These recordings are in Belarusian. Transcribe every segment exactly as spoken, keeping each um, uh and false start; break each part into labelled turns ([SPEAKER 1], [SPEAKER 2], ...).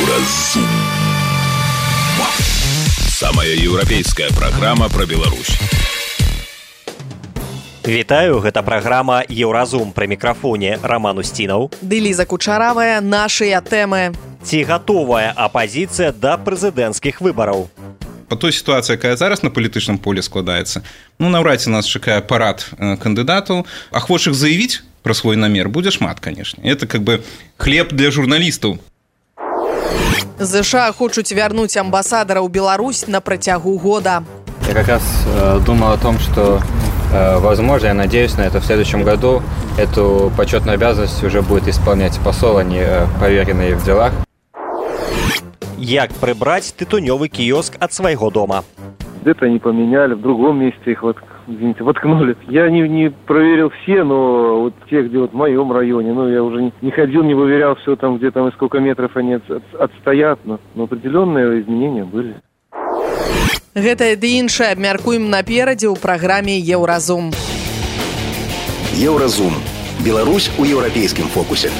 [SPEAKER 1] Еўразум. Самая еўрапейская праграма пра Беларусь.
[SPEAKER 2] Вітаю, гэта праграма «Еўразум», пры мікрафоне Роман Устінаў.
[SPEAKER 3] Ды Ліза Кучаравая, нашыя тэмы.
[SPEAKER 2] Ці гатовая апазіцыя да прэзідэнцкіх выбараў?
[SPEAKER 4] По той ситуации, якая зараз на палітычным полі складаецца, ну, наўрад ці нас чакае парад кандыдатаў, ахвочых заявіць пра свой намер будзе шмат, конечно. Это как бы хлеб для журналістаў.
[SPEAKER 3] ЗША хочуць вярнуць амбасадара ў Беларусь на працягу года.
[SPEAKER 5] Я как раз э, думал о том, что, э, возможно, я надеюсь на это, в следующем году эту почетную обязанность уже будет исполнять посол, а не э, поверенный в делах.
[SPEAKER 2] Як прибрать тытунёвый киоск от своего дома?
[SPEAKER 6] Где-то они поменяли, в другом месте их вот, извините, воткнули. Я не, не проверил все, но вот те, где вот в моем районе, ну, я уже не, не ходил, не выверял все там, где там и сколько метров они от, от, отстоят, но, но определенные изменения были.
[SPEAKER 3] Гэта ды іншае абмяркуем наперадзе ў праграме «Еўразум».
[SPEAKER 1] Еўразум. Беларусь у еўрапейскім фокусе.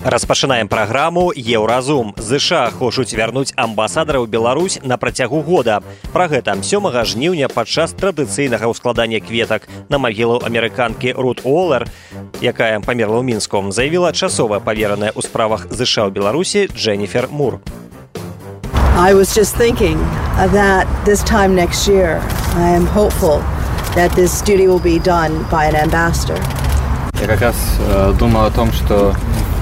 [SPEAKER 2] Распачынаем праграму «Еўразум». ЗША хочуць вярнуць амбасадара ў Беларусь на працягу года. Пра гэта сёмага жніўня падчас традыцыйнага ўскладання кветак на магілу амерыканкі Рут Уолер, якая памерла ў Мінску, заявіла часовая павераная ў справах ЗША ў Беларусі Дженніфер Мур.
[SPEAKER 7] I was just thinking that this time next year, I am hopeful that this duty will be done by an ambassador.
[SPEAKER 5] Я как раз э, думал о том, что,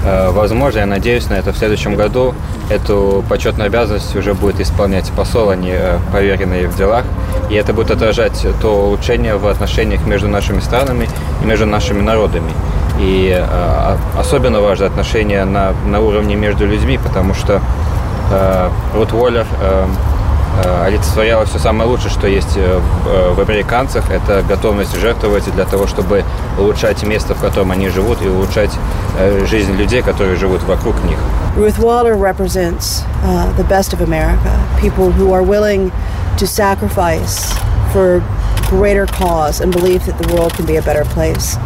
[SPEAKER 5] э, возможно, я надеюсь на это, в следующем году эту почетную обязанность уже будет исполнять посол, а не э, поверенный в делах. И это будет отражать то улучшение в отношениях между нашими странами и между нашими народами. И э, особенно важны отношения на, на уровне между людьми, потому что э, Рут Уолер э, э, олицетворяла все самое лучшее, что есть в, в американцах. Это готовность жертвовать для того, чтобы улучшать место, в котором они живут, и улучшать э, жизнь людей, которые живут вокруг них.
[SPEAKER 7] Ruth Waller represents uh, the best of America, people who are willing to sacrifice for greater cause and believe that the world can be a better place.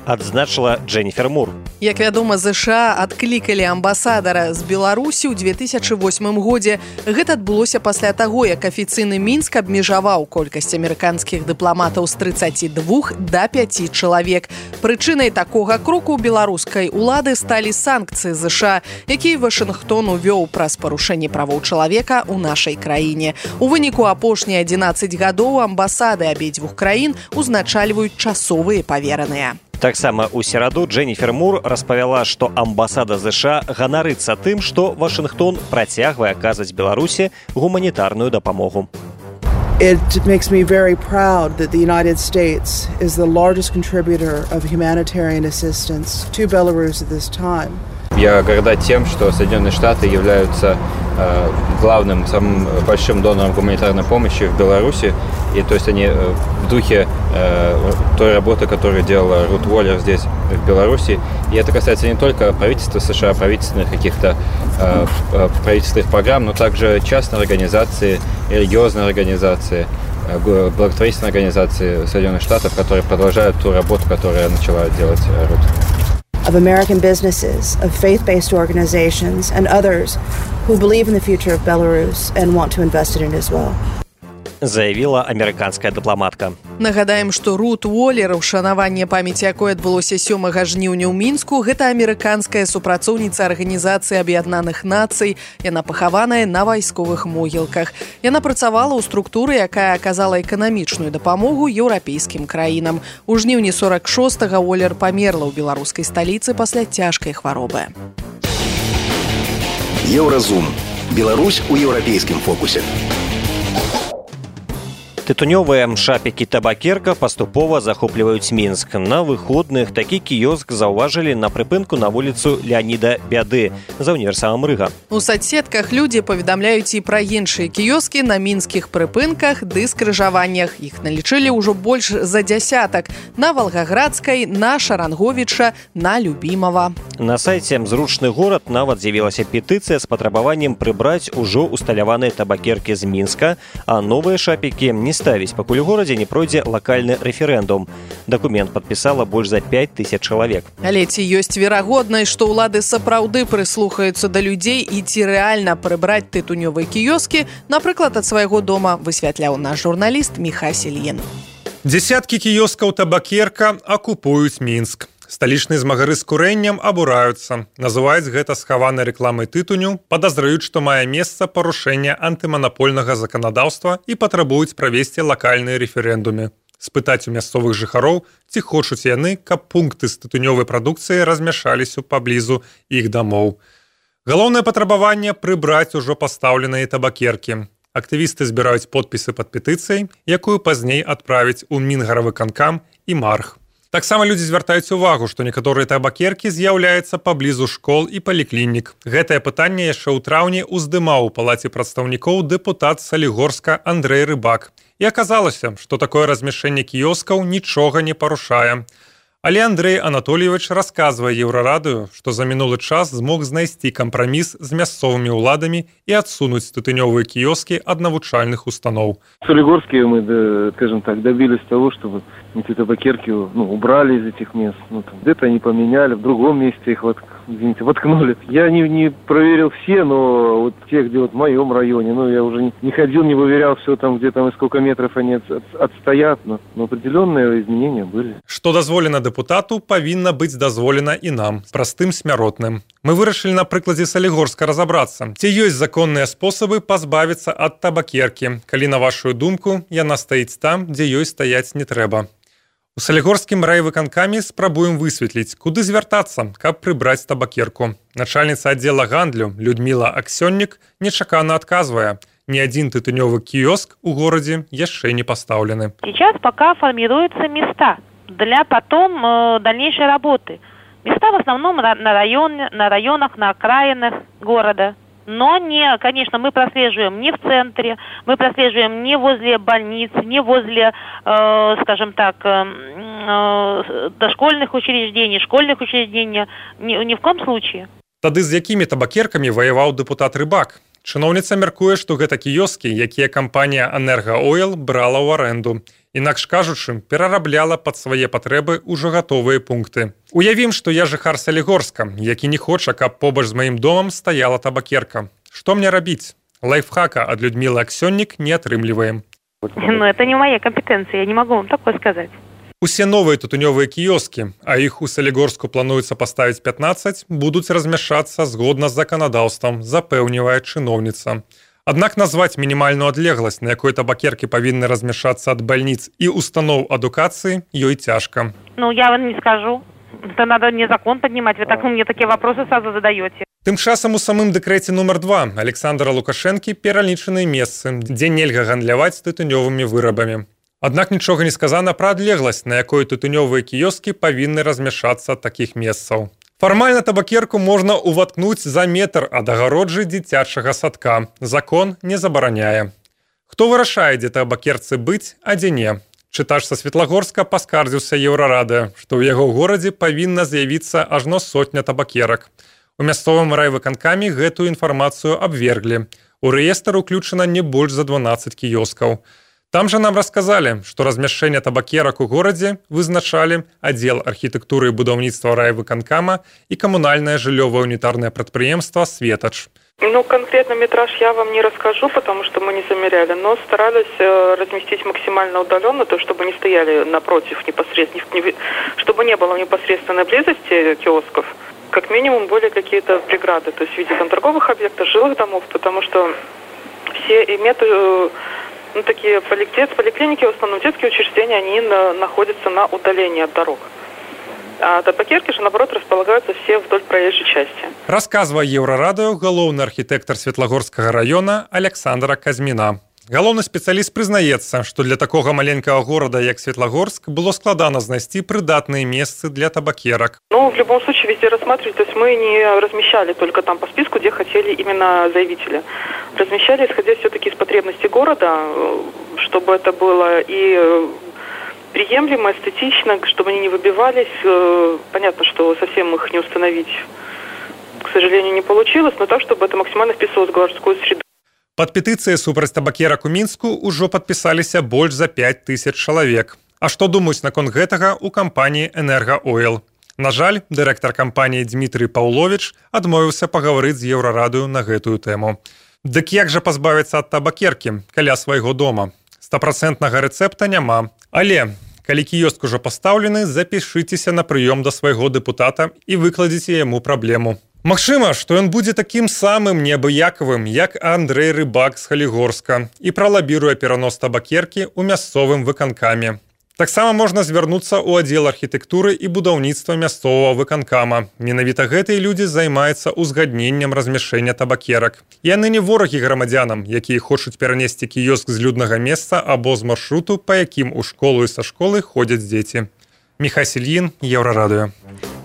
[SPEAKER 2] Адзначыла Дженніфер Мур.
[SPEAKER 3] Як вядома, ЗША адклікалі амбасадара з Беларусі ў две тысячы восьмым годзе. Гэта адбылося пасля таго, як афіцыйны Мінск абмежаваў колькасць амерыканскіх дыпламатаў з трыццаці двух да пяці чалавек. Прычынай такога кроку беларускай улады сталі санкцыі ЗША, якія Вашынгтон увёў праз парушэнне правоў чалавека ў нашай краіне. У выніку апошнія адзінаццаць гадоў амбасады абедзвюх краін узначальваюць часовыя павераныя.
[SPEAKER 2] Таксама ў сераду Дженніфер Мур распавяла, што амбасада ЗША ганарыцца тым, што Вашынгтон працягвае аказваць Беларусі гуманітарную дапамогу.
[SPEAKER 7] It makes me very proud that the United States is the largest contributor of humanitarian assistance to Belarus at this time.
[SPEAKER 5] Я горда тем, что Соединенные Штаты являются э, главным, самым большим донором гуманитарной помощи в Беларуси. И то есть они э, в духе э, той работы, которую делала Рут Уолер здесь, в Беларуси. И это касается не только правительства США, правительственных каких-то э, правительственных программ, но также частной организации, религиозной организации, э, благотворительной организации Соединенных Штатов, которые продолжают ту работу, которую начала делать Рут.
[SPEAKER 7] Of American businesses, of faith-based organizations, and others who believe in the future of Belarus and want to invest in it as well.
[SPEAKER 2] Заявіла амерыканская дыпламатка.
[SPEAKER 3] Нагадаем, што Рут Уолер, ушанаванне памяці якой адбылося сёмага жніўня ў Мінску, гэта амерыканская супрацоўніца Арганізацыі Аб'яднаных Нацый. Яна пахаваная на вайсковых могілках. Яна працавала ў структуры, якая аказала эканамічную дапамогу еўрапейскім краінам. У жніўні сорак шостага Уолер памерла ў беларускай сталіцы пасля цяжкай хваробы.
[SPEAKER 1] Еўразум. Беларусь у еўрапейскім фокусе.
[SPEAKER 2] Тытунёвыя шапікі табакерка паступова захопліваюць Мінск. На выходных такі кіёск заўважылі на прыпынку на вуліцу Леаніда Бяды за універсамам Рыга.
[SPEAKER 3] У соцсетках людзі паведамляюць і пра іншыя кіёскі на мінскіх прыпынках ды скрыжаваннях. Іх налічылі ўжо больш за дзясятак. На Валгаградскай, на Шаранговіча, на Любімава.
[SPEAKER 2] На сайце «Зручны горад» нават з'явілася петыцыя з патрабаваннем прыбраць ужо усталяваныя табакеркі з Мінска, а новыя шапікі не ставіць, пакуль у горадзе не пройдзе лакальны рэферэндум. Дакумент падпісала больш за пяць тысяч чалавек.
[SPEAKER 3] Але ці ёсць верагоднасць, што ўлады сапраўды прыслухаюцца да людзей і ці рэальна прыбраць тытунёвыя кіёскі, напрыклад, ад свайго дома, высвятляў наш журналіст Міхась Ільін.
[SPEAKER 8] Дзесяткі кіёскаў табакерка акупуюць Мінск. Сталічныя змагары з курэннем абураюцца. Называюць гэта схаванай рэкламай тытуню, падазраюць, што мае месца парушэнне антыманапольнага заканадаўства і патрабуюць правесці лакальныя рэферэндумы. Спытаць у мясцовых жыхароў, ці хочуць яны, каб пункты з тытунёвай прадукцыі размяшаліся паблізу іх дамоў. Галоўнае патрабаванне прыбраць ужо пастаўленыя табакеркі. Актывісты збіраюць подпісы пад петыцыяй, якую пазней адправяць у Мінгаравыканкам і Марх. Таксама людзі звяртаюць увагу, што некаторыя табакеркі з'яўляюцца паблізу школ і паліклінік. Гэтае пытанне яшчэ ў траўні ўздымаў у палаце прадстаўнікоў дэпутат Салігорска Андрэй Рыбак. І аказалася, што такое размяшчэнне кіёскаў нічога не парушае. Але Андрэй Анатольевич расказвае Еўрарадыё, што за мінулы час змог знайсці кампраміс з мясцовымі ўладамі і адсунуць тытунёвыя кіёскі ад навучальных устаноў.
[SPEAKER 6] В Солигорске мы, скажем так, добились того, чтобы эти табакерки ну, убрали из этих мест. Ну, там, где-то они поменяли, в другом месте их вот, извините, воткнули. Я не, не проверил все, но вот те, где вот в моем районе, ну, я уже не, не ходил, не выверял все там, где там и сколько метров они от, от, отстоят, но, но определенные изменения были.
[SPEAKER 8] Што дазволена дэпутату, павінна быць дазволена і нам, простым смяротным. Мы вырашылі на прыкладзе Салігорска разабрацца, ці ёсць законныя спосабы пазбавіцца ад табакеркі, калі, на вашу думку, яна стаіць там, дзе ёй стаяць не трэба. У Салігорскім райвыканкаме спрабуем высветліць, куды звяртацца, каб прыбраць табакерку. Начальніца аддзела гандлю Людміла Аксённік нечакана адказвае. Ни один тытунёвый киоск у городе яшчэ не поставлены.
[SPEAKER 9] Сейчас пока формируются места для потом э, дальнейшей работы. Места в основном на, районе, на районах, на окраинах города. Но, не, конечно, мы прослеживаем не в центре, мы прослеживаем не возле больниц, не возле, э, скажем так, э, э, дошкольных учреждений, школьных учреждений, ни, ни в коем случае.
[SPEAKER 8] Тады з якімі табакеркамі ваяваў дэпутат Рыбак? Чыноўніца мяркуе, што гэта кіёскі, якія кампанія «Энерго-Ойл» брала ў арэнду. Інакш кажучы, перарабляла пад свае патрэбы ўжо гатовыя пункты. Уявім, што я жыхар Салігорска, які не хоча, каб побач з маім домам стаяла табакерка. Што мне рабіць? Лайфхака ад Людмілы Аксённік не атрымліваем.
[SPEAKER 9] Ну, это не моя компетенция, я не могу вам такое сказать.
[SPEAKER 8] Усе новыя тытунёвыя кіёскі, а іх у Салігорску плануецца паставіць пятнаццаць, будуць размяшчацца згодна з заканадаўствам, запэўнівае чыноўніца. Аднак назваць мінімальную адлегласць, на якой табакеркі павінны размяшчацца ад бальніц і устаноў адукацыі, ёй цяжка.
[SPEAKER 9] Ну, я вам не скажу. Это надо мне закон поднимать. Вы так мне такие вопросы сразу задаете.
[SPEAKER 8] Тым часам у самым дэкрэце нумар два Александра Лукашэнкі пералічаныя месцы, дзе нельга гандляваць тытунёвымі вырабамі. Аднак нічога не сказана пра адлегласць, на якой тытунёвыя кіёскі павінны размяшчацца ад такіх месцаў. Фармальна табакерку можна ўваткнуць за метр ад агароджы дзіцячага садка. Закон не забараняе. Хто вырашае, дзе табакерцы быць, а дзе не? Чытач са Светлагорска паскардзіўся Еўрарадыё, што ў яго горадзе павінна з'явіцца ажно сотня табакерак. У мясцовым райвыканкаме гэтую інфармацыю абверглі. У рэестр уключана не больш за дванаццаць кіёскаў. Там жа нам расказалі, што размяшчэнне табакерак у горадзе вызначалі аддзел архітэктуры і будаўніцтва райвыканкама і камунальнае жыллёвае унітарнае прадпрыемства «Светач».
[SPEAKER 10] Ну, конкретно метраж я вам не расскажу, потому что мы не замеряли, но старались разместить максимально удаленно, то чтобы не стояли напротив непосредственно, чтобы не было в непосредственной близости киосков. Как минимум были какие-то преграды, то есть в виде там торговых объектов, жилых домов, потому что все имеют... Ну, такие поликлиники, в основном детские учреждения, они на, находятся на удалении от дорог. А табакерки же, наоборот, располагаются все вдоль проезжей части.
[SPEAKER 8] Расказвае Еўрарадыё галоўны архітэктар Светлагорскага района Александра Казьміна. Галоўны спецыяліст прызнаецца, што для такога маленькага горада, як Светлагорск, было складана знайсці прыдатныя месцы для табакерак.
[SPEAKER 10] Ну, в любом случае, везде рассматривали, то есть мы не размещали только там по списку, где хотели именно заявители. Размещали, исходя все-таки из потребностей города, чтобы это было и приемлемо, эстетично, чтобы они не выбивались. Понятно, что совсем их не установить, к сожалению, не получилось, но так, чтобы это максимально вписывалось в городскую среду.
[SPEAKER 8] Пад петыцыяй супраць табакерак у Мінску ўжо падпісаліся больш за пяць тысяч чалавек. А што думаюць наконт гэтага ў кампаніі «Энергаойл»? На жаль, дырэктар кампаніі Дмітрый Паўловіч адмовіўся пагаварыць з Еўрарадыё на гэтую тэму. Дык як жа пазбавіцца ад табакеркі каля свайго дома? Стапрацэнтнага рэцэпта няма. Але, калі кіёск ужо пастаўлены, запішыцеся на прыём да свайго дэпутата і выкладзіце яму праблему. Магчыма, што ён будзе такім самым неабыякавым, як Андрэй Рыбак з Халігорска і пралабіруе перанос табакеркі ў мясцовым выканкаме. Таксама можна звярнуцца ў аддзел архітэктуры і будаўніцтва мясцовага выканкама. Менавіта гэтыя людзі займаюцца узгадненнем размяшчэння табакерак. Яны не ворагі грамадзянам, якія хочуць перанесці кіёск з люднага месца або з маршруту, па якім у школу і са школы ходзяць дзеці. Міхай Сельін, Еўрарадыё.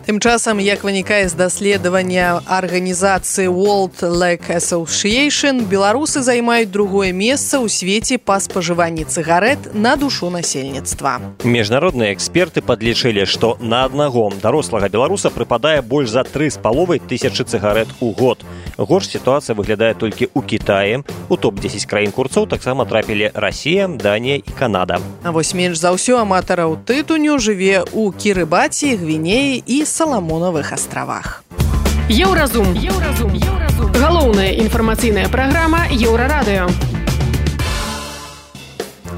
[SPEAKER 3] Тым часам, як вынікае з даследавання арганізацыі World Lake Association, беларусы займаюць другое месца ў свеце па спажыванні цыгарэт на душу насельніцтва.
[SPEAKER 2] Міжнародныя эксперты падлічылі, што на аднаго дарослага беларуса прыпадае больш за тры з паловай тысячы цыгарэт у год. Горш сітуацыя выглядае толькі ў Кітаі. У топ дзесяць краін курцоў таксама трапілі Расія, Данія і Канада.
[SPEAKER 3] А вось менш за ўсё аматараў тытуню жыве ў Кірыбаці, Гвінеі і Саламонавых астравах.
[SPEAKER 11] Еўразум. Еўразум. Еўразум. Галоўная інфармацыйная праграма Еўрарадыё.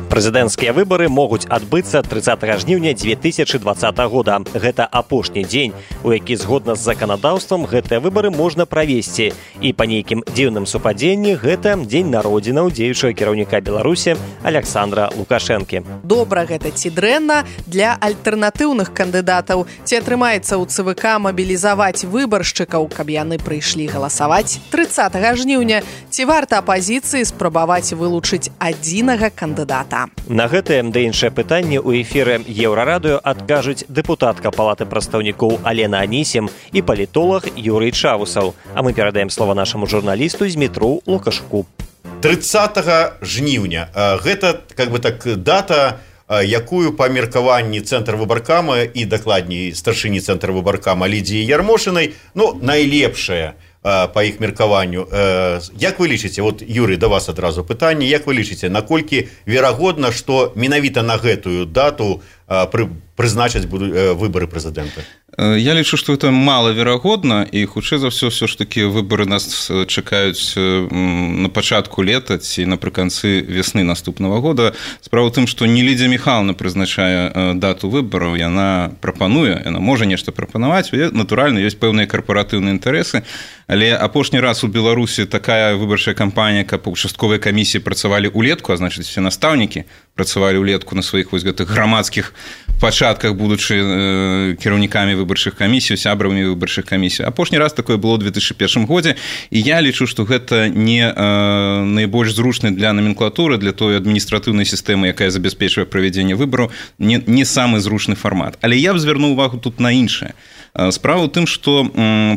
[SPEAKER 2] Прэзідэнцкія выбары могуць адбыцца трыццатага жніўня дзве тысячы дваццатага года. Гэта апошні дзень, у які згодна з заканадаўствам гэтыя выбары можна правесці. І па нейкім дзіўным супадзенні гэта дзень народзінаў дзеючага кіраўніка Беларусі Аляксандра Лукашэнкі.
[SPEAKER 3] Добра гэта ці дрэнна для альтэрнатыўных кандыдатаў? Ці атрымаецца ў ЦВК мабілізаваць выбаршчыкаў, каб яны прыйшлі галасаваць трыццатага жніўня? Ці варта апазіцыі спрабаваць вылучыць адзінага кандыдата?
[SPEAKER 2] На гэтае да іншае пытанне ў эфіры Еўрарадыё адкажуць дэпутатка Палаты прадстаўнікоў Алена Анісім і палітолог Юрый Чавусаў. А мы перадаем слова нашаму журналісту Змітру Лукашку.
[SPEAKER 12] трыццатага жніўня. Гэта как бы так дата, якую па меркаванні цэнтр выбаркама і дакладней старшыні цэнтр выбаркама Лідзіі Ярмошынай, ну, найлепшая па іх меркаванню. Як вы лічыце, вот, Юрый, да вас адразу пытанне, як вы лічыце, наколькі верагодна, што менавіта на гэтую дату прызначаць выбары прэзідэнта?
[SPEAKER 4] Я лічу, што это малаверагодна, і хутчэй за ўсё ўсё ж такі выбары нас чакаюць на пачатку лета ці напрыканцы весны наступнага года. Справа ў тым, што не Лідзія Міхайлаўна прызначае дату выбараў, яна прапануе, яна можа нешта прапанаваць, натуральна, ёсць пэўныя карпаратыўныя інтарэсы, але апошні раз у Беларусі такая выбарчая кампанія, каб участковыя камісіі працавалі ўлетку, а значыць, все настаўнікі працавалі ўлетку на сваіх вось гэтых грамадскіх пачатках, будучы э, кіраўнікамі выбарчых камісій, сябрамі выбарчых камісій. Апошні раз такое было ў две тысячы першым годзе, і я лічу, што гэта не э, найбольш зручны для номенклатуры, для той адміністратыўнай сістэмы, якая забяспечвае правядзенне выбараў, не, не самы зручны фармат. Але я б звярнуў увагу тут на іншае. Справа ў тым, што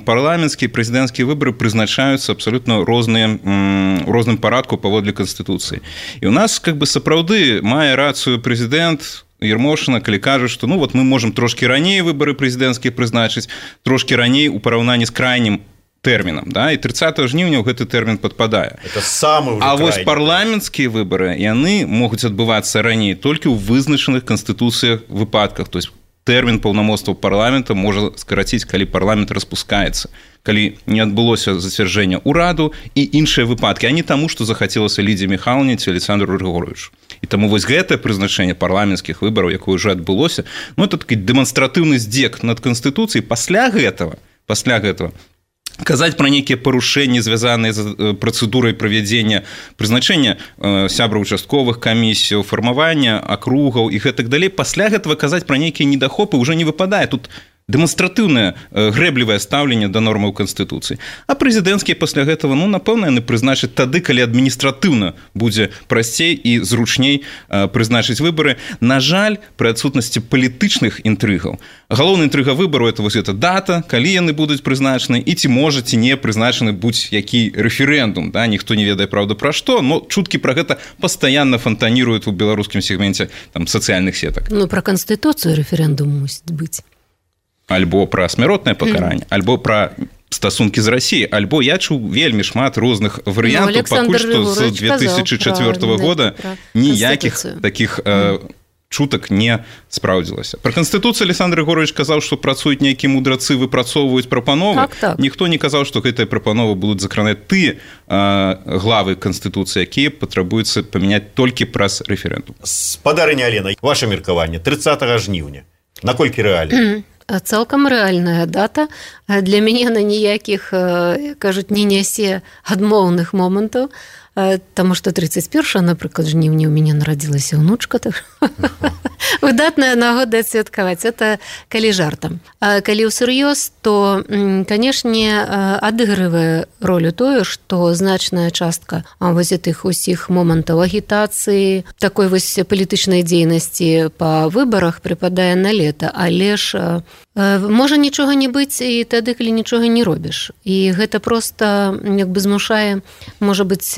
[SPEAKER 4] парламенцкія і прэзідэнцкія выбары прызначаюцца абсалютна розныя, у розным парадку паводле Канстытуцыі. І ў нас как бы сапраўды мае рацыю прэзідэнт Ярмошына, калі кажа, што ну вот мы можам трошкі раней выбары прэзідэнцкія прызначыць, трошкі раней у параўнанні з крайнім тэрмінам, да, і трыццатага жніўня ў гэты тэрмін падпадае.
[SPEAKER 12] Это самы
[SPEAKER 4] а вось парламенцкія выбары, яны могуць адбывацца раней толькі ў вызначаных Канстытуцыях выпадках, то есть тэрмін паўнамоцтва парламента можа скараціць, калі парламент распускаецца, калі не адбылося зацвярджэння ўраду і іншыя выпадкі, а не таму, што захацелася Лідзі Міхайлаўне ці Александру Грыгоровичу. І таму вось гэтае прызначэнне парламенцкіх выбараў, якое ўжо адбылося, ну, это такі дэманстратыўны здзек над Канстытуцыяй. Пасля гэтага, пасля гэтага казаць пра нейкія парушэнні, звязаныя з працэдурай правядзення прызначэння сябраў участковых камісій, фармавання акругаў і гэтак далей, пасля гэтага казаць пра нейкія недахопы ўжо не выпадае. Тут дэманстратыўнае грэблівае стаўленне да нормаў Канстытуцыі. А прэзідэнцкія пасля гэтага, ну, напэўна, яны прызначаць тады, калі адміністратыўна будзе прасцей і зручней прызначыць выбары. На жаль, пры адсутнасці палітычных інтрыгаў. Галоўная інтрыга выбару – это вось эта дата, калі яны будуць прызначаны, і ці можа, ці не прызначаны будь-які рэферэндум. Да? Ніхто не ведае, правда, пра што, но чуткі пра гэта пастаянна фантаніруюць у беларускім сегменце там, сацыяльных сетак.
[SPEAKER 13] Ну, пра Канстытуцыю рэферэндум мусіць быць.
[SPEAKER 4] Альбо пра смяротнае пакаранне, mm. альбо пра стасункі з Расіяй, альбо я чуў вельмі шмат розных варыянтаў, ну, пакуль што з две тысячи четвёртого года ніякіх такіх э, чутак не спраўдзілася. Пра Канстытуцыю Александр Григорьевич казаў, што працуюць нейкія мудрацы, выпрацоўваюць прапановы.
[SPEAKER 13] Так, так.
[SPEAKER 4] Ніхто не казаў, што гэтыя прапановы будуць закранаць тыя э, главы Канстытуцыі, якія патрабуюцца памяняць толькі праз рэферэндум.
[SPEAKER 12] Спадарыня Алена, ваше меркаванне тридцатого жніўня. Наколькі рэальна?
[SPEAKER 13] Цалкам рэальная дата. Для мяне на ніякіх, кажуць, не нясе адмоўных момантаў, таму што тридцать первого, напрыклад, жніўня у мяне нарадзілася ўнучка, так выдатная нагода адсвяткаваць. Это калі жартам. А калі ўсур'ёз, то, канешне, адыгрывае ролю тое, што значная частка вось гэтых усіх момантаў агітацыі, такой вось палітычнай дзейнасці па выбарах прыпадае на лета, але ж можа нічога не быць і тады, калі нічога не робіш. І гэта проста як бы змушае, можа быць,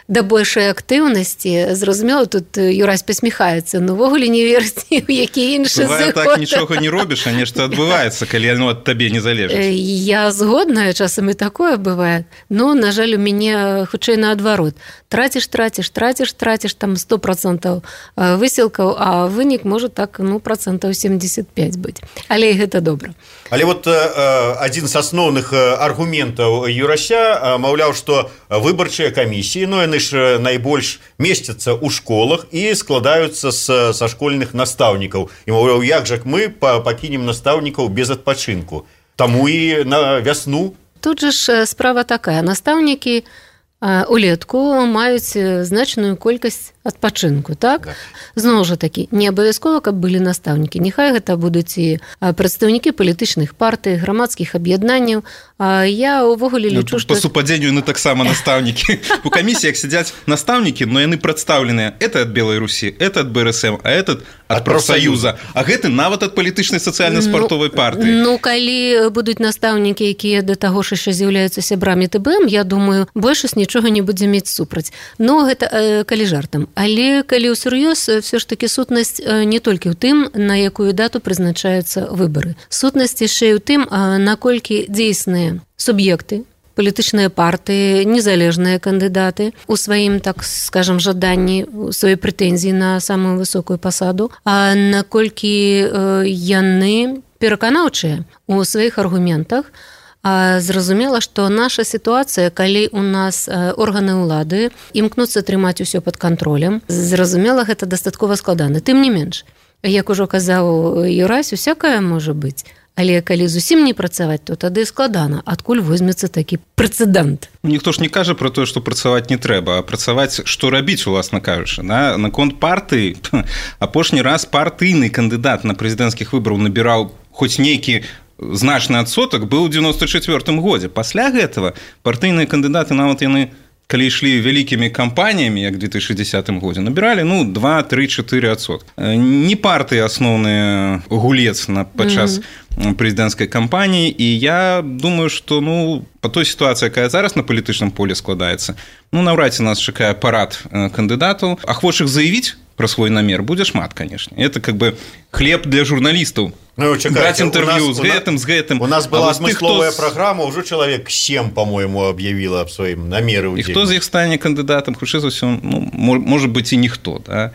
[SPEAKER 13] да большай актыўнасці. Зразумела, тут Юрась пасміхаецца, но ўвогуле не верыць ні ў які іншы
[SPEAKER 4] зыход. Бывае так, нічога не робіш, а нешта адбываецца, калі оно ад табе не залежыць.
[SPEAKER 13] Я згодная, часам і такое бывае, но, на жаль, у мяне хутчэй наадварот. Траціш, траціш, траціш, траціш, там сто процентов высілкаў, а вынік можа так, ну, процентов семьдесят пять быць. Але і гэта добра.
[SPEAKER 12] Але вот э, адзін з асноўных аргументаў Юрася, маўляў, што выбарчыя камісіі, ну, яны ж найбольш месцяцца ў школах і складаюцца з, са школьных настаўнікаў. І, маўляў, як жа мы пакінем настаўнікаў без адпачынку? Таму і на вясну.
[SPEAKER 13] Тут жа ж справа такая. Настаўнікі улетку маюць значную колькасць адпачынку, так? так. Зноў жа такі, не абавязкова, каб былі настаўнікі. Няхай гэта будуць і прадстаўнікі палітычных партый, грамадскіх аб'яднанняў. Я ўвогуле лічу, што...
[SPEAKER 4] Па супадзенню яны таксама настаўнікі. У камісіях сядзяць настаўнікі, но яны прадстаўленыя. Это ад Белай Русі, это ад Бэ Эр Эс Эм, а этот ад Прафсаюза. А гэты нават ад палітычнай сацыяльна-спартовай партыі.
[SPEAKER 13] Ну, калі будуць настаўнікі, якія да таго ж яшчэ з'яўляюцца сябрамі Тэ Бэ Эм, я думаю, большасць нічога не будзе мець супраць. Но гэта калі жартам. Але калі ўсур'ёз, все ж таки сутнасць не толькі ў тым, на якую дату прызначаюцца выбары. Сутнасць яшчэ і ў тым, наколькі дзейсныя суб'екты, палітычныя партыі, незалежныя кандыдаты у сваім, так скажам, жаданні, у сваёй прэтэнзіі на самую высокую пасаду, а наколькі яны пераканаўчыя у сваіх аргументах. Зразумела, што наша сітуацыя, калі у нас органы ўлады імкнуцца трымаць усё пад кантролем, зразумела, гэта дастаткова складана. Тым не менш, як ужо казаў Юрась, усякае можа быць. Але калі зусім не працаваць, то тады складана. Адкуль возьмецца такі прэцэдэнт?
[SPEAKER 4] Ніхто ж не кажа пра тое, што працаваць не трэба, а працаваць, што рабіць, уласна кажучы. Да? Наконт партыі, апошні раз партыйны кандыдат на прэзідэнцкіх выбараў набіраў хоць нейкі значны адсотак быў у девяносто четвёртым годзе. Пасля гэтага партыйныя кандыдаты, нават яны, калі ішлі вялікімі кампаніямі, як у две тысячи десятым годзе, набіралі, ну, два, три, четыре адсотка. Не партыі асноўны гулец на падчас mm-hmm. прэзідэнцкай кампаніі, і я думаю, што, ну, па той сітуацыі, якая зараз на палітычным поле складаецца, ну, наўрад ці нас чакае парад кандыдатаў, ахвочых заявіць про свой намер будзе шмат, конечно. Это как бы хлеб для журналістаў.
[SPEAKER 12] Ну, чакайте,
[SPEAKER 4] брать интервью с гэтым, с гэтым.
[SPEAKER 12] У нас была смысловая кто... программа, уже человек семь, по-моему, объявила об своим намеры.
[SPEAKER 4] И кто из них станет кандидатом? Хутчэй за ўсё, ну, может быть, и никто, да.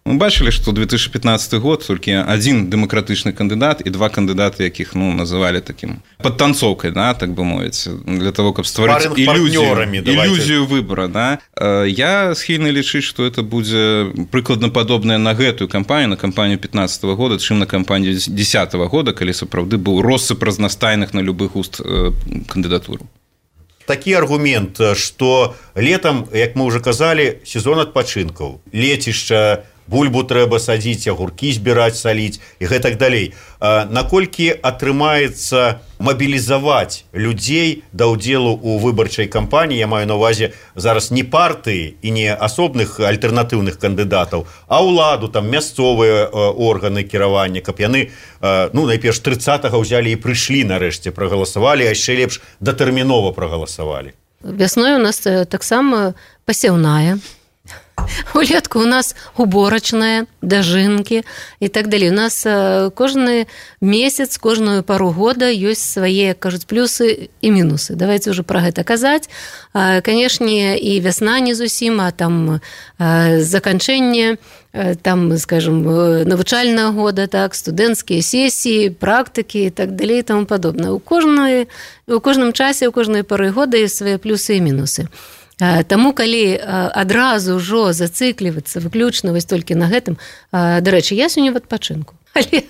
[SPEAKER 4] Мы бачили, что две тысячи пятнадцатый год только один демократичный кандидат и два кандидата, яких, ну, называли таким подтанцовкой, да, так бы мовить, для того, чтобы створить иллюзию, иллюзию выбора, да. Я схильный лічыць, что это будет прикладно подобное на гэтую кампанию, на кампанию пятнадцатого года, чым на кампанию десятого года, калі сапраўды был россып разнастайных на любых уст кандидатур.
[SPEAKER 12] Такі аргумент, што летам, як мы ўжо казалі, сезон адпачынкаў, лецішча бульбу трэба садзіць, агуркі збіраць, саліць і гэтак далей. Наколькі атрымаецца мабілізаваць людзей да ўдзелу ў выбарчай кампаніі, я маю на ўвазе зараз не партыі і не асобных альтэрнатыўных кандыдатаў, а ўладу, там мясцовыя органы кіравання, каб яны, ну, найперш трыццатага ўзялі і прыйшлі нарэшце, прагаласавалі, а яшчэ лепш датэрмінова прагаласавалі.
[SPEAKER 13] Вясной у нас таксама пасяўная. Улетку у нас уборачная, дажынкі і так далей. У нас кожны месяц, кожную пару года ёсць свае, кажуць, плюсы і мінусы. Давайте ўжо пра гэта казаць. Канешне, і вясна не зусім, а там заканчэнне, там, скажем, навучальнага года, так, студэнцкія сесіі, практыкі і так далей і таму падобнае. У кожнай, у кожным часе, у кожнай пары года ёсць свае плюсы і мінусы. Таму, калі адразу ўжо зацыклівацца выключна вось толькі на гэтым, дарэчы, я сёння в адпачынку. Але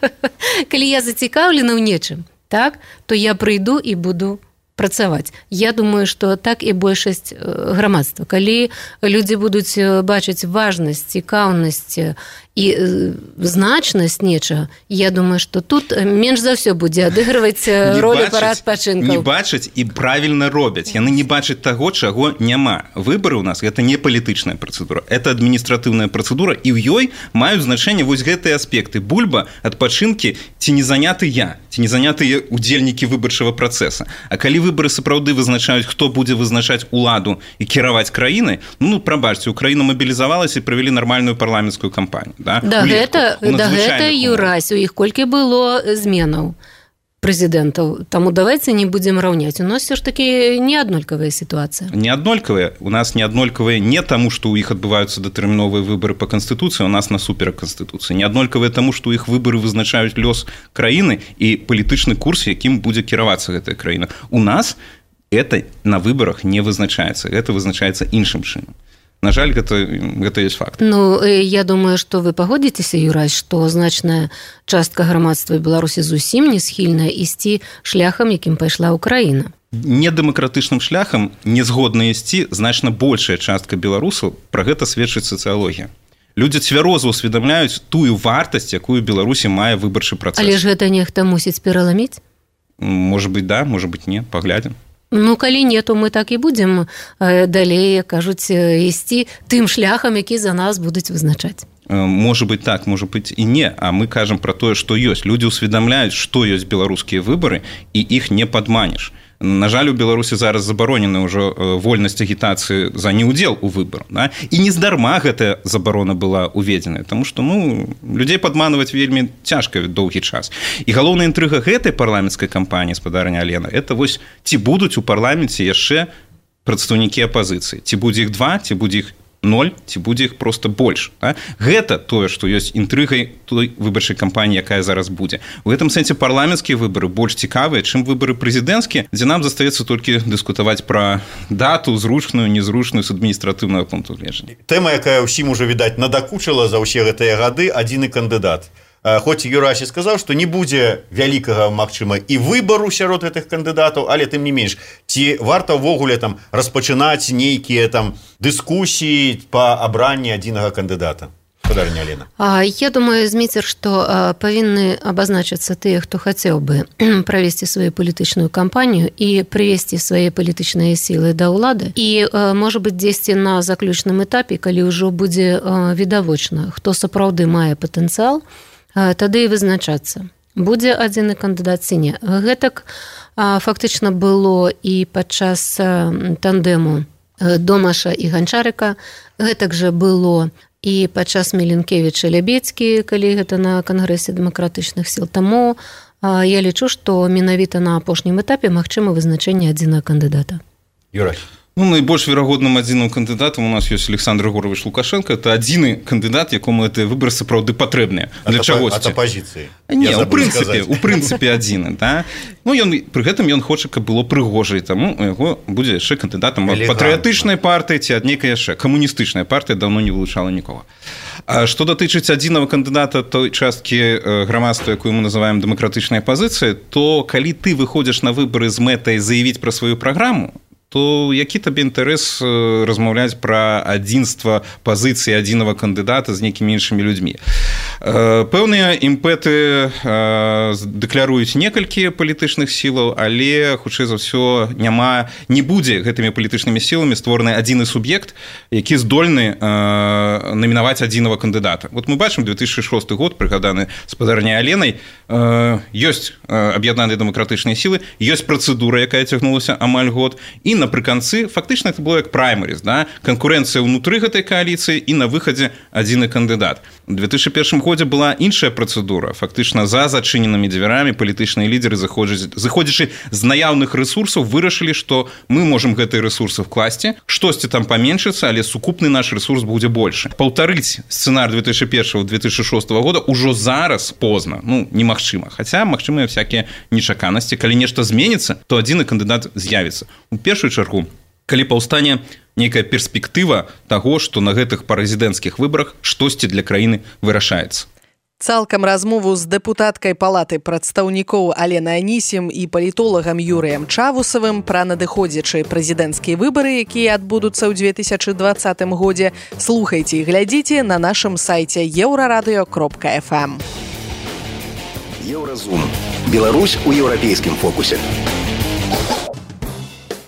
[SPEAKER 13] калі я зацікаўлена ў нечым, так, то я прыйду і буду працаваць. Я думаю, што так і большасць грамадства. Калі людзі будуць бачыць важнасць, цікаўнасць і значнасць нечага, я думаю, што тут менш за ўсё будзе адыгрываць ролю пара адпачынкаў.
[SPEAKER 4] Не бачаць і правільна робяць. Яны не бачаць таго, чаго няма. Выбары ў нас гэта не палітычная працэдура, это адміністратыўная працэдура, і ў ёй маюць значэнне вось гэтыя аспекты. Бульба, адпачынкі, ці не заняты я, ці не занятыя удзельнікі выбарчага працэса. А калі выбары сапраўды вызначаюць, хто будзе вызначаць уладу і кіраваць краінай, ну, прабачце, Украіна мабілізавалася і правялі нармальную парламенцкую кампанію. Да,
[SPEAKER 13] да гэта, да гэта Юрась, у іх колькі было зменаў прэзідэнтаў. Таму давайце не будзем раўняць. У нас все ж такі неаднолькавая сітуацыя.
[SPEAKER 4] Неаднолькавая. У нас неаднолькавая не таму, што ў іх адбываюцца датэрміновыя выбары па Канстытуцыі, у нас насуперак Канстытуцыі. Неаднолькавая таму, што ў іх выбары вызначаюць лёс краіны і палітычны курс, якім будзе кіравацца гэтая краіна. У нас это на выбарах не вызначаецца. Гэта вызначаецца іншым чынам. На жаль, гэта, гэта ёсць факт.
[SPEAKER 13] Ну, я думаю, што вы пагодзіцеся, Юрась, што значная частка грамадства Беларусі зусім не схільная ісці шляхам, якім пайшла Украіна.
[SPEAKER 4] Недэмакратычным шляхам не згодна ісці значна большая частка беларусаў, пра гэта сведчыць сацыялогія. Людзі цвяроза ўсведамляюць тую вартасць, якую Беларусі мае выбарчы працэс.
[SPEAKER 13] Але ж гэта нехта мусіць пераламіць?
[SPEAKER 4] Можа быць, да, можа быць, не, паглядзім.
[SPEAKER 13] Ну, калі не, то мы так і будзем далей, кажуць, ісці тым шляхам, які за нас будуць вызначаць.
[SPEAKER 4] Можа быць так, можа быць і не, а мы кажам пра тое, што ёсць. Людзі ўсведамляюць, што ёсць беларускія выбары, і іх не падманеш. На жаль, у Беларусі зараз забаронена ўжо вольнасць агітацыі за неудзел у выбарах. Да? І нездарма гэтая забарона была уведзеная, таму што, ну, людзей падманваць вельмі цяжка доўгі час. І галоўная інтрыга гэтай парламенцкай кампаніі, спадарня Алена, это вось ці будуць у парламенце яшчэ прадстаўнікі апазіцыі. Ці будзе іх два, ці будзе іх ноль, ці будзе іх проста больш. Да? Гэта тое, што ёсць інтрыгай той выбарчай кампаніі, якая зараз будзе. У гэтым сэнсе парламенцкія выбары больш цікавыя, чым выбары прэзідэнцкія, дзе нам застаецца толькі дыскутаваць пра дату, зручную, незручную з адміністратыўнага пункту гледжання.
[SPEAKER 12] Тэма, якая ўсім ужо, відаць, надакучыла за ўсе гэтыя гады, адзіны кандыдат. Хоць Юрась сказаў, што не будзе вялікага, магчыма, і выбару сярод гэтых кандыдатаў, але тым не менш, ці варта ўвогуле там распачынаць нейкія там дыскусіі па абранні адзінага кандыдата? Спадарня Алена.
[SPEAKER 13] Я думаю, Зміцер, што павінны абазначыцца тыя, хто хацеў бы правесці сваю палітычную кампанію і прывесці свае палітычныя сілы да ўлады. І, можа быць, дзесьці на заключным этапе, калі ўжо будзе відавочна, хто сапраўды мае патэнцыял, тады і вызначацца. Будзе адзіны кандыдат ці не. Гэтак фактычна было і падчас тандэму Домаша і Ганчарыка. Гэтак жа было і падчас Меленкевіча Лябедзькі, калі гэта на кангрэсе дэмакратычных сіл. Таму я лічу, што менавіта на апошнім этапе магчыма вызначэнне адзінага кандыдата.
[SPEAKER 12] Юрай.
[SPEAKER 4] Ну, найбольш верагодным адзіным кандыдатам у нас ёсць Александр Григорьевич Лукашенко. Это адзіны кандыдат, якому гэтыя выбары сапраўды патрэбныя. Для чагосьці.
[SPEAKER 12] Ад апазіцыі.
[SPEAKER 4] Не, у прынцыпе, у прынцыпе адзіны, да. Ну, ён, пры гэтым ён хоча, каб было прыгожа, і таму у яго будзе яшчэ кандыдатам ад патрыятычнай партыі ці ад нейкай яшчэ. Камуністычная партыя даўно не вылучала нікога. А што датычыць адзінага кандыдата той часткі грамадства, якую мы называем дэмакратычнай апазіцыяй, то калі ты выходзіш на выбары з мэтай заявіць пра сваю праграму, то які табе інтарэс размаўляць пра адзінства пазіцыі адзінага кандыдата з нейкімі іншымі людзьмі. Пэўныя імпэты дэкляруюць некалькі палітычных сілаў, але хутчэй за ўсё няма, не будзе гэтымі палітычнымі сіламі створаны адзіны суб'ект, які здольны намінаваць адзінага кандыдата. Вот мы бачым две тысячи шосты год, прыгаданы спадарняй Аленай, ёсць аб'яднаныя дэмакратычныя сілы, ёсць працэдура, якая цягнулася амаль год, і напрыканцы фактычна это было як праймеріз, да? Канкурэнцыя ўнутры гэтай кааліцыі і на выхадзе адзіны кандыдат. У две тысячи першым годзе была іншая працэдура. Фактычна за зачыненымі дзвярамі палітычныя лідеры, заходзячы з наяўных рэсурсаў, вырашылі, што мы можам гэтыя рэсурсы вкласці, штосьці там паменшыцца, але сукупны наш рэсурс будзе большы. Паўтарыць сцэнар две тысячи першого - две тысячи шостого года ўжо зараз позна, ну, немагчыма. Хаця магчымыя всякія нечаканасці. Калі нешта зменіцца, то адзіны кандыдат з'явіцца. У першую чаргу, калі паўстане нейкая перспектыва таго, што на гэтых прэзідэнцкіх выбарах штосьці для краіны вырашаецца.
[SPEAKER 3] Цалкам размову з дэпутаткай палаты прадстаўнікоў Аленай Анісім і палітолагам Юрыем Чавусавым пра надыходзячыя прэзідэнцкія выбары, якія адбудуцца ў две тысячи двадцатым годзе, слухайце і глядзіце на нашым сайце еўрарадыё кропка эф эм.
[SPEAKER 1] Еўразум. Беларусь у еўрапейскім фокусе.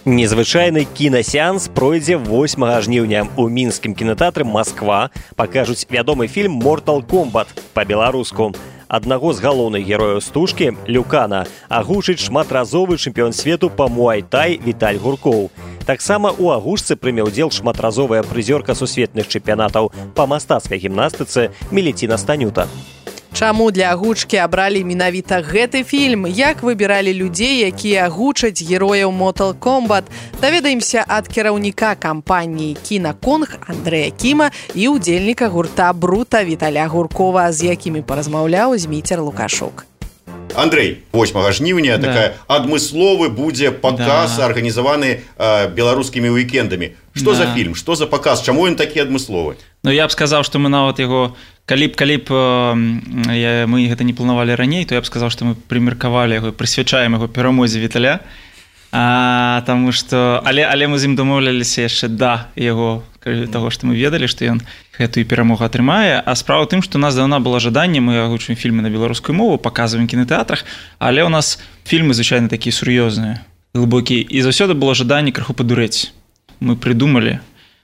[SPEAKER 2] Незвычайны кінасеанс пройдзе восьмага жніўня. У мінскім кінатэатры «Масква» пакажуць вядомы фільм «Mortal Kombat» па-беларуску. Аднаго з галоўных герояў стужкі, Люкана, агучыць шматразовы чэмпіён свету па муай-тай Віталь Гуркоў. Таксама ў агучцы прыме ўдзел шматразовая прызёрка сусветных чэмпіянатаў па мастацкай гімнастыцы Меліціна Станюта.
[SPEAKER 3] Чаму для агучкі абралі менавіта гэты фільм? Як выбіралі людзей, якія агучаць герояў Mortal Kombat? Даведаемся ад кіраўніка кампаніі «Кінаконг» Андрэя Кіма і ўдзельніка гурта «Брута» Віталя Гуркова, з якімі паразмаўляў Зміцер Лукашук.
[SPEAKER 12] Андрей, восьмага жніўня, да. Такая адмысловы будзе паказ, да. Арганізаваны э, беларускімі уікендамі. Што да. За фільм, што за паказ, чаму ён такі адмысловы?
[SPEAKER 14] Ну, я б сказаў, што мы нават яго, калі б, калі б э, мы гэта не планавалі раней, то я б сказаў, што мы прымеркавалі яго, прысвячаем яго перамозе Віталя, а, таму што, але, але мы з ім дамоўляліся яшчэ да яго, таго, што мы ведалі, што ён гэтую перамогу атрымае. А справа ў тым, што у нас даўно было жаданне, мы агучваем фільмы на беларускую мову, паказваем кінатэатрах, але ў нас фільмы звычайна такія сур'ёзныя, глыбокія, і заўсёды было жаданне крыху падурэць. Мы прыдумалі,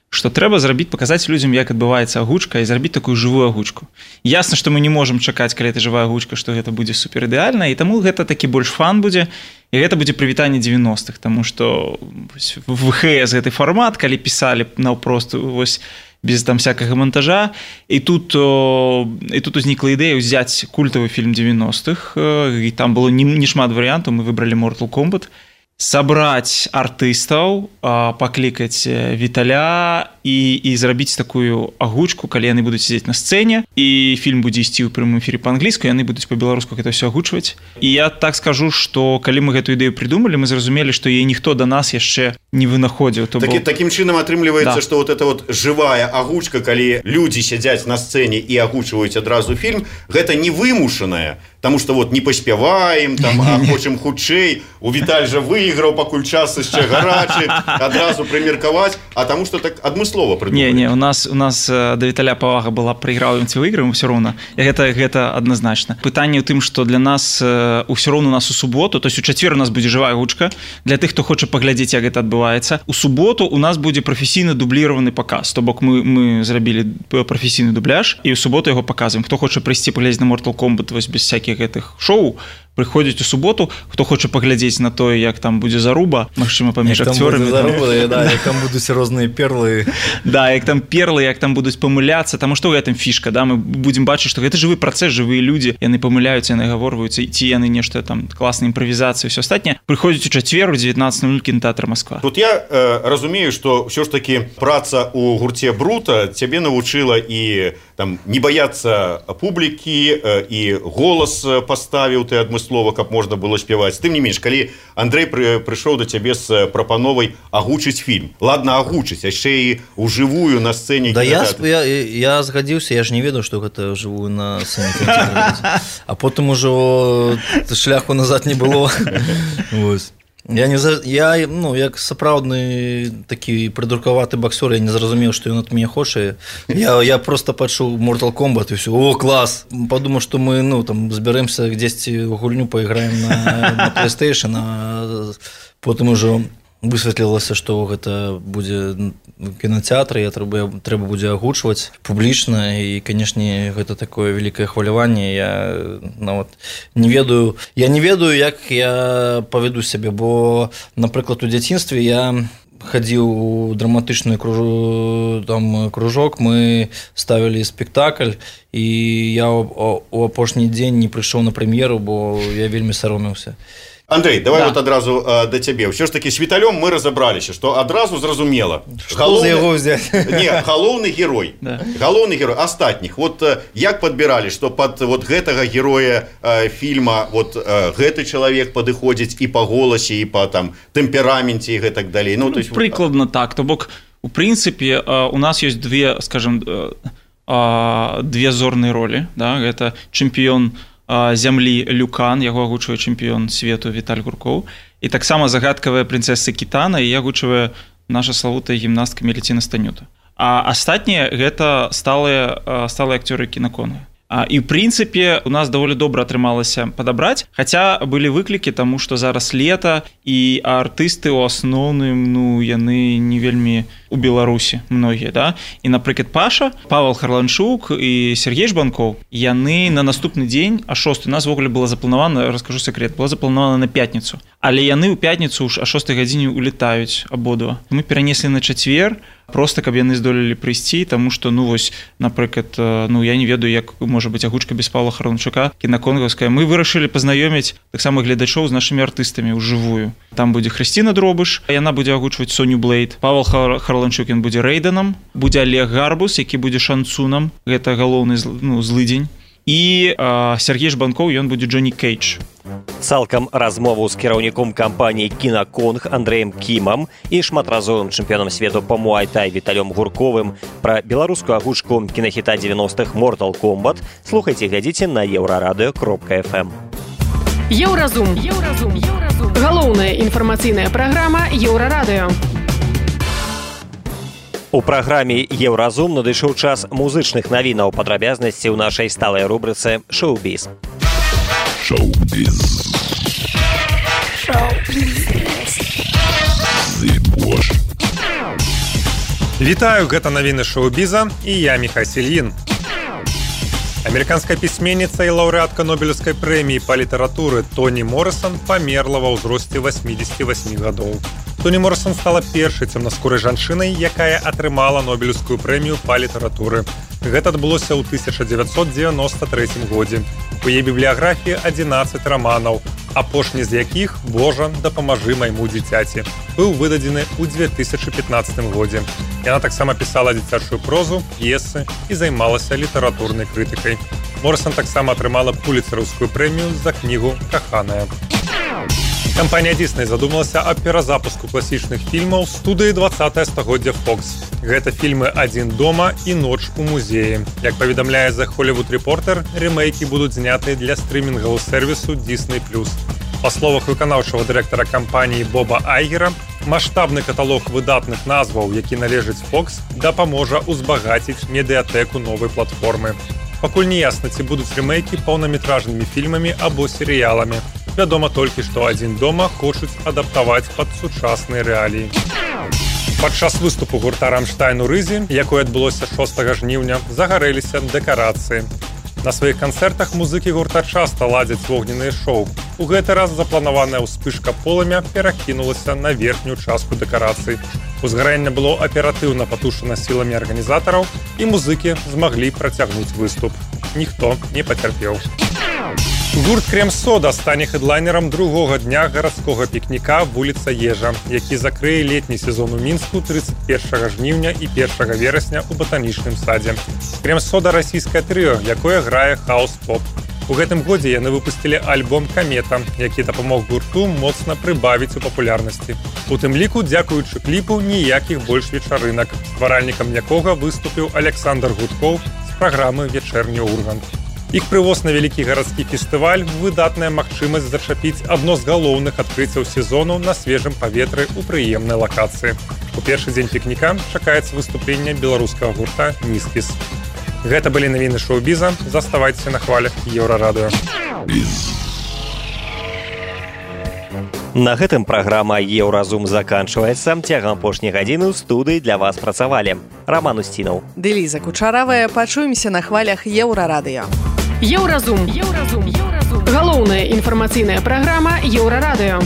[SPEAKER 14] што трэба зрабіць, паказаць людзям, як адбываецца агучка, і зрабіць такую жывую агучку. Ясна, што мы не можам чакаць, калі это жывая агучка, што гэта будзе суперідэальна, і таму гэта такі больш фан будзе, і гэта будзе прывітанне дзевяностых, таму што в вэ эс гэты фармат, калі пісалі наўпрост вось без там всякага монтажа, і тут, о, і тут узнікла ідэя ўзяць культавы фільм дзевяностых, і там было не, не шмат варыянтаў, мы выбралі Mortal Kombat, сабраць артыстаў, паклікаць Віталя і, і зрабіць такую агучку, калі яны будуць сидзець на сцэне, і фільм будзе ісці ў прямым эфіры па-англійску, яны будуць па-беларуску гэта ўсё агучваць. І я так скажу, што калі мы гэтую ідэю придумалі, мы зразумелі, што яе ніхто да нас яшчэ не вынаходзіў. То
[SPEAKER 12] Такі,
[SPEAKER 14] бок...
[SPEAKER 12] Такім чынам атрымліваецца,
[SPEAKER 14] да.
[SPEAKER 12] што вот эта вот жывая агучка, калі людзі сядзяць на сцэне і агучваюць адразу фільм, гэта не вымушаная, таму што вот не паспяваем, там, а хочам хутчэй, у Віталь жа выйграў, пакуль час яшчэ гарачы, адразу прымеркаваць, а таму што так адмыслова прыдумалі.
[SPEAKER 14] Не, не, у нас, у нас да Віталя павага была, прайграў ці выйграем, усё роўна. Гэта, гэта адназначна. Пытанне ў тым, што для нас усё роўна у нас у суботу, то есть у чацвер у нас будзе жывая агучка, для тых, хто хоча паглядзець, як гэта адбываецца. У суботу у нас будзе прафесійна дубліраваны паказ, то бок мы, мы зрабілі прафесійны дубляж, і ў суботу яго паказваем. Хто хоча прыйсці паглядзець на Mortal Kombat вось без всякіх гэтых шоу, прыходзіць у суботу, хто хоча паглядзець на тое, як там будзе заруба, магчыма, паміж акцёрамі.
[SPEAKER 15] Да, як там будуць розныя перлы.
[SPEAKER 14] Да, як там перлы, як там будуць памыляцца, таму што ў гэтым фішка, да, мы будзем бачыць, што гэта жывы працэс, жывыя людзі, яны памыляюцца, яны гаворваюцца, ці яны нешта там класная імправізацыя, ўсё астатняе. Прыходзіць у чацвер у дзевятнадцатым ноль кінатэатр Масква.
[SPEAKER 12] Тут я э, разумею, што ўсё ж такі праца ў гурце Брута цябе навучыла і там не баяцца публікі, э, і голас паставіў ты адмыслова, каб можна было спяваць. Тым не менш, калі Андрэй пры, прыйшоў да цябе з прапановай агучыць фільм. Ладно, агучыць, яшчэ і ўжывую на сцэне.
[SPEAKER 15] Да я, я, я згадзіўся, я ж не ведаў, што гэта жывую на сцэне. А потым ужо шляху назад не было. Я не за я ну як сапраўдны такі прыдуркаваты боксер, я не зразумеў, што ён ад мяне хоча. Я я просто пачуў Mortal Kombat і все. О, клас. Падумаў, што мы ну там збярэмся дзесьці ў гульню, пайграем на, на PlayStation, а потым ужо высветлілася, што гэта будзе кінотэатр, я трэба трэба будзе агучваць публічна, і канешне гэта такое вялікае хваляванне. Я нават не ведаю я не ведаю як я паведу сябе, бо напрыклад у дзяцінстве я хадзіў у драматычны кружок, там кружок, мы ставілі спектакль, і я у апошні дзень не прыйшоў на прэм'еру, бо я вельмі саромеўся.
[SPEAKER 12] Андрей, давай
[SPEAKER 14] да.
[SPEAKER 12] вот адразу э, да цябе. Ўсё ж такі з Віталём мы разабраліся, што адразу зразумела.
[SPEAKER 15] Што за яго ўзяць?
[SPEAKER 12] Не, галоўны герой. Да. Галоўны герой астатніх. Вот э, як падбіралі, што пад вот гэтага героя э, фільма вот э, гэты чалавек падыходзіць і па голасе, і па там тэмпераменце і гэтак далей. Ну,
[SPEAKER 14] ну,
[SPEAKER 12] то есть
[SPEAKER 14] прыкладна так. То бок у прынцыпе э, у нас ёсць две, скажем, э, э, две зорныя ролі, да? Гэта чэмпіён зямлі Люкан, яго агучвае чэмпіён свету Віталь Гуркоў, і таксама загадкавая прынцэса Кітана, і агучвае наша славутая гімнастка Меліціна Станюта. А астатнія гэта сталыя сталыя акцёры кінаконга. І ў прынцыпе у нас даволі добра атрымалася падабраць, хаця былі выклікі, таму што зараз лета, і артысты ў асноўным, ну яны не вельмі у Беларусі многія, да? І напрыклад Паша, Павел Харланчук і Сергей Жбанкоў, яны на наступны дзень, а шосты, у нас ввогуле было запланавана, раскажу секрет, было запланавана на пятніцу, але яны ў пятніцу ж а шостай гадзіне улетаюць абодва. Мы перанеслі на чацвер, просто каб яны здолелі прыйсці, таму што ну вось, напрыклад, ну я не ведаю, як можа быць агучка без Павла Харланчука кінаконгаўская. Мы вырашылі пазнаёміць таксама гледачоў з нашымі артыстамі ўжывую. Там будзе Хрысціна Дробыш, яна будзе агучваць Соню Блейд, Павел Харланчук ён будзе Рэйданам, будзе Олег Гарбус, які будзе Шанцунам, гэта галоўны ну, злыдзень, і э, Сергей Жбанкоў, ён будзе Джонні Кейдж.
[SPEAKER 2] Цалкам размову з кіраўніком кампаніі «Кінаконг» Андрэем Кімам і шматразовым чэмпіёнам свету па муай-тай Віталём Гурковым пра беларускую агучку кінахіта дзевяностых Mortal Kombat слухайце, глядзіце на еўрарадыё кропка эф эм.
[SPEAKER 11] Еўразум. Еўразум. Еўразум. Галоўная інфармацыйная праграма Еўрарадыё.
[SPEAKER 2] У праграме «Еўразум» надышоў час музычных навінаў, падрабязнасці ў нашай сталай рубрыцы «Шоу-біз».
[SPEAKER 16] Шоу-біз.
[SPEAKER 8] Вітаю, гэта навіны шоу-біза, і я Міхай Сільін. Амерыканская пісьменніца і лаўрэатка Нобелеўскай прэміі па літаратуры Тоні Морысон памерла ва ўзросце васьмідзесяці васьмі гадоў. Тоні Морысон стала першай цёмнаскурай жанчынай, якая атрымала Нобелеўскую прэмію па літаратуры. Гэта адбылося ў тысяча дзевяцьсот дзевяноста трэцім годзе. У яе бібліяграфіі адзінаццаць раманаў, апошні з якіх «Божа, дапамажы майму дзіцяці» быў выдадзены ў дзве тысячы пятнаццатым годзе. Яна таксама пісала дзіцячую прозу, п'есы і займалася літаратурнай крытыкай. Морысон таксама атрымала пуліцэраўскую прэмію за кнігу «Каханая». Кампанія Disney задумалася аб перазапуску класічных фільмаў студыі двадцатае стагоддзя Fox. Гэта фільмы «Адзін дома» і «Ноч у музеі». Як паведамляе The Hollywood Reporter, рэмейкі будуць знятыя для стрымінгавого сервісу Disney плюс. Па словах выканаўчага дырэктара кампаніі Боба Айгера, маштабны каталог выдатных назваў, які належыць Fox, дапаможа ўзбагаціць медыятэку новай платформы. Пакуль не ясна, ці будуць рэмейкі паўнаметражнымі фільмамі або серыяламі. Вядома толькі, што «Адзін дома» хочуць адаптаваць пад сучасныя рэаліі. Падчас выступу гурта «Рамштайн» у Рызе, якое адбылося шостага жніўня, загарэліся дэкарацыі. На сваіх канцэртах музыкі гурта часта ладзяць вогненныя шоу. У гэты раз запланаваная ўспышка полымя перакінулася на верхнюю частку дэкарацый. Узгарэнне было аператыўна патушана сіламі арганізатараў, і музыкі змаглі працягнуць выступ. Ніхто не пацярпеў. Гурт «Крем-сода» стане хэдлайнерам другога дня гарадскога пікніка вуліца Ежа, які закрые летні сезон у Мінску трыццаць першага жніўня і першага верасня ў батанічным садзе. «Крем-сода» – расійскае трыо, якое грае хаус-поп. У гэтым годзе яны выпусцілі альбом «Камета», які дапамог гурту моцна прыбавіць у папулярнасці. У тым ліку, дзякуючы кліпу, ніякіх больш вечарынак, стваральнікам якога выступіў Александр Гудкоў з праграмы «Вечерні Ургант». Іх прывоз на вялікі гарадскі фестываль выдатная магчымасць зачапіць адно з галоўных адкрыццяў сезону на свежым паветры ў прыемнай лакацыі. У першы дзень пікніка чакаецца выступленне беларускага гурта «Міскіс». Гэта былі навіны шоу-біза. Заставайцеся на хвалях Еўрарадыё.
[SPEAKER 2] На гэтым праграма «Еўразум» заканчваецца. Цягам апошняй гадзіны ў студыі для вас працавалі Роман Устінаў.
[SPEAKER 3] Дэліза Кучаравая. Пачуемся на хвалях Еўрарадыё.
[SPEAKER 11] Еўразум. Еўразум. Еўразум. Галоўная інфармацыйная праграма Еўрарадыё.